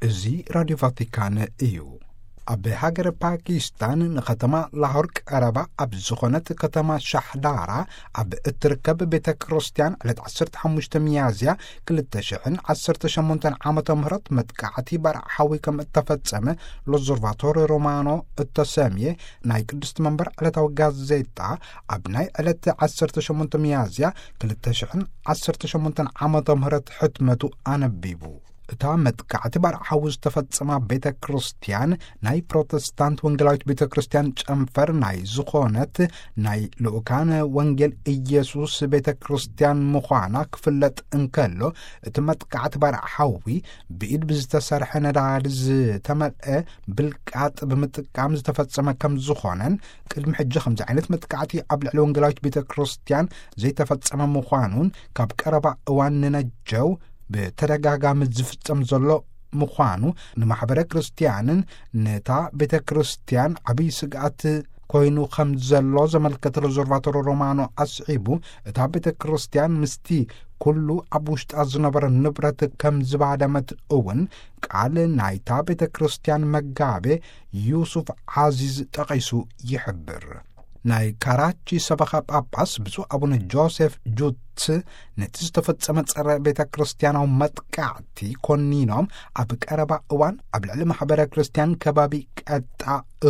እዚ ራዲዮ ቫቲካን እዩ። ኣብ ሃገረ ፓኪስታን ንከተማ ላሆር ቀረባ ኣብ ዝኾነት ከተማ ሻሕዳራ ኣብ እትርከብ ቤተ ክርስቲያን ዕለት ዓሰርተ ሓሙሽተ ሚያዝያ ክልተ ሽሕን ዓሰርተ ሸሞንተን ዓመተ ምህረት መጥቃዕቲ ባርዕ ሓዊ ከም እተፈጸመ ሎዞርቫቶሪ ሮማኖ እተሰምየ ናይ ቅድስቲ መንበር ዕለታዊ ጋዜጣ ኣብ ናይ ዕለት ዓሰርተ ሸሞንተ ሚያዝያ ክልተ ሽሕን ዓሰርተ ሸሞንተን ዓመተ ምህረት ሕትመቱ ኣነቢቡ። እታ መጥቃዕቲ ባርዕ ሓዊ ዝተፈጸማ ቤተ ክርስቲያን ናይ ፕሮቴስታንት ወንጌላዊት ቤተ ክርስቲያን ጨንፈር ናይ ዝኾነት ናይ ልኡካነ ወንጌል ኢየሱስ ቤተ ክርስቲያን ምዃና ክፍለጥ እንከሎ፣ እቲ መጥቃዕቲ ባርዕ ሓዊ ብኢድ ብዝተሰርሐ ነዳዲ ዝተመልአ ብልቃጥ ብምጥቃም ዝተፈጸመ ከም ዝኾነን፣ ቅድሚ ሕጂ ከምዚ ዓይነት መጥቃዕቲ ኣብ ልዕሊ ወንጌላዊት ቤተ ክርስቲያን ዘይተፈጸመ ምዃኑን፣ ካብ ቀረባ እዋን ንነጀው ብተደጋጋሚ ዝፍጸም ዘሎ ምዃኑ ንማሕበረ ክርስቲያንን ነታ ቤተ ክርስቲያን ዓብዪ ስግኣት ኮይኑ ከም ዘሎ ዘመልከተ ሎዞርቫቶሮ ሮማኖ ኣስዒቡ፣ እታ ቤተ ክርስቲያን ምስቲ ኩሉ ኣብ ውሽጣ ዝነበረ ንብረት ከም ዝባደመት እውን ቃል ናይታ ቤተ ክርስቲያን መጋቤ ዩሱፍ ዓዚዝ ጠቒሱ ይሕብር። ናይ ካራቺ ሰበኻ ጳጳስ ብፁዕ ኣቡነ ጆሴፍ ጁትስ ነቲ ዝተፈጸመ ጸረ ቤተ ክርስቲያናዊ መጥቃዕቲ ኮኒኖም፣ ኣብ ቀረባ እዋን ኣብ ልዕሊ ማሕበረ ክርስቲያን ከባቢ ቀጣ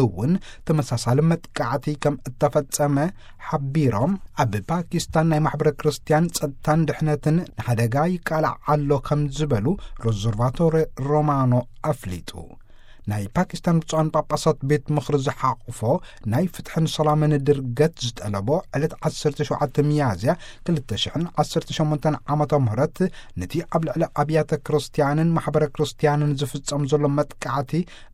እውን ተመሳሳሊ መጥቃዕቲ ከም እተፈጸመ ሓቢሮም፣ ኣብ ፓኪስታን ናይ ማሕበረ ክርስቲያን ጸጥታን ድሕነትን ንሓደጋ ይቃላዕ ኣሎ ከም ዝበሉ ሎዞርቫቶሬ ሮማኖ ኣፍሊጡ። ናይ ፓኪስታን ብፁዓን ጳጳሳት ቤት ምኽሪ ዝሓቑፎ ናይ ፍትሕን ሰላምን ድርገት ዝጠለቦ ዕለት ዓሰርተ ሸውዓተ ሚያዝያ ክልተ ሽሕን ዓሰርተ ሸሞንተን ዓመተ ምህረት ነቲ ኣብ ልዕሊ ኣብያተ ክርስቲያንን ማሕበረ ክርስቲያንን ዝፍጸም ዘሎ መጥቃዕቲ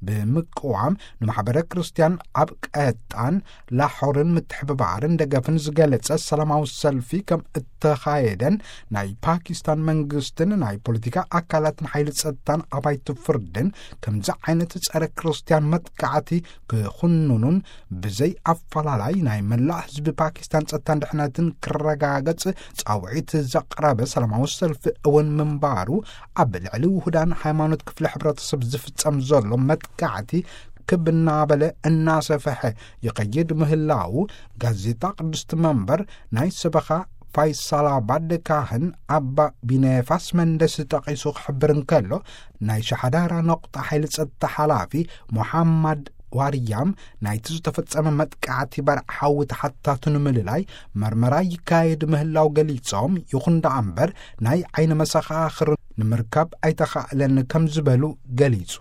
ብምቅዋም፣ ንማሕበረ ክርስቲያን ኣብ ቀጣን ላሖርን ምትሕብባርን ደገፍን ዝገለጸ ሰላማዊ ሰልፊ ከም እተኻየደን፣ ናይ ፓኪስታን መንግስትን ናይ ፖለቲካ ኣካላትን ሓይሊ ጸጥታን ኣባይቲ ፍርድን ከምዚ ዓይነት ጸረ ክርስቲያን መጥቃዕቲ ክኹንኑን ብዘይ ኣፈላላይ ናይ መላእ ህዝቢ ፓኪስታን ጸጥታን ድሕነትን ክረጋገጽ ጻውዒት ዘቕረበ ሰላማዊ ሰልፊ እውን ምንባሩ፣ ኣብ ልዕሊ ውሁዳን ሃይማኖት ክፍለ ሕብረተሰብ ዝፍጸም ዘሎ መጥቃዕቲ ክብ እናበለ እናሰፈሐ ይኸይድ ምህላዉ፣ ጋዜጣ ቅድስቲ መንበር ናይ ሰበኻ ፋይሳላባድ ካህን ኣባ ቢነፋስ መንደስ ጠቒሱ ክሕብር እንከሎ፣ ናይ ሻሓዳራ ነቑጣ ሓይሊ ጸጥታ ሓላፊ ሞሓማድ ዋርያም ናይቲ ዝተፈጸመ መጥቃዕቲ ባርዕ ሓዊ ተሓታቱ ንምልላይ መርመራ ይካየድ ምህላው ገሊጾም፣ ይኹን ደኣ እምበር ናይ ዓይኒ መሰኻኽር ንምርካብ ኣይተኻእለን ከም ዝበሉ ገሊጹ።